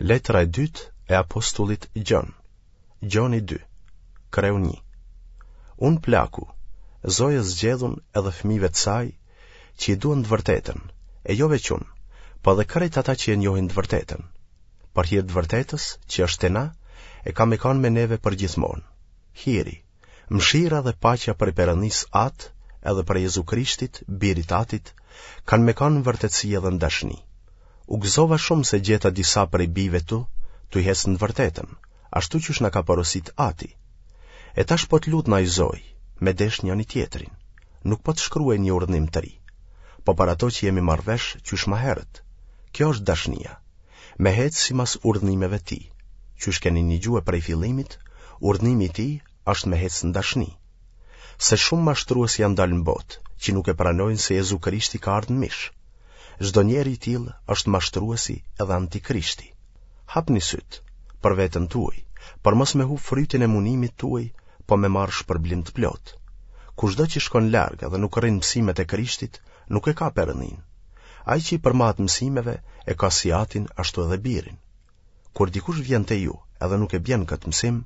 Letra e dytë e apostullit Gjon. Gjoni 2, kreu 1. Unë plaku, zojës zgjedhun edhe fëmijëve të saj, që i duan të vërtetën, e jo veç unë, po edhe krejt ata që e njohin të vërtetën. Për hir të vërtetës, që është te na, e ka me kanë me neve përgjithmonë. Hiri, Mëshira dhe paqja prej Perëndisë Atë edhe prej Jezu Krishtit, Birit Atit, kanë me kanë në vërtetësi edhe në dashni. U gëzova shumë se gjeta disa prej bijve tu, tuj hecë në të vërtetën, ashtu qysh na ka porositë Ati. E tash po të lutna oj zojë, me deshtë njëni-tjetrin. Nuk po të shkruaj një urdhnim të ri, po për ato që jemi marrë vesh qysh ma herët. Kjo është dashnia. Me hecë simas urdhnimeve të tij. Qysh keni nigjue prej fillimit, urdhnimi i tij është me hecë në dashni. Se shumë mashtrues janë dalë në botë, që nuk e pranojnë se Jezu Krishti ka ardhë në mish. Çdo njeri i tillë është mashtruesi edhe antikrishti. Hapni sytë, për veten tuaj, për mos me hup frytin e munimit tuaj, po me marrë shpërblim të plotë. Kushdo që shkon larg edhe nuk rrin mësimet e Krishtit, nuk e ka Perëndinë. Ai që i përmbahet mësimeve e ka si atin ashtu edhe birin. Kur dikush vjen te ju edhe nuk e bjen këtë mësim,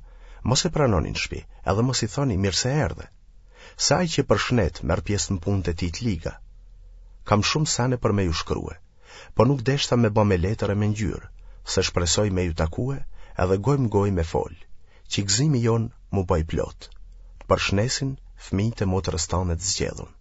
mos e pranoni në shpi, edhe mos i thoni mirë se erdhe. Se ai që përshnet merr pjesë në punët e tij të liga. Kam shumë sene për me ju shkrue, po nuk deshta me ba me letër e me ngjyrë, se shpresoj me ju takue edhe gojë më gojë me folë, që gëzimi jonë m'u ba i plotë. Të përshnesin fëmijët e motrës tane të zgjedhun.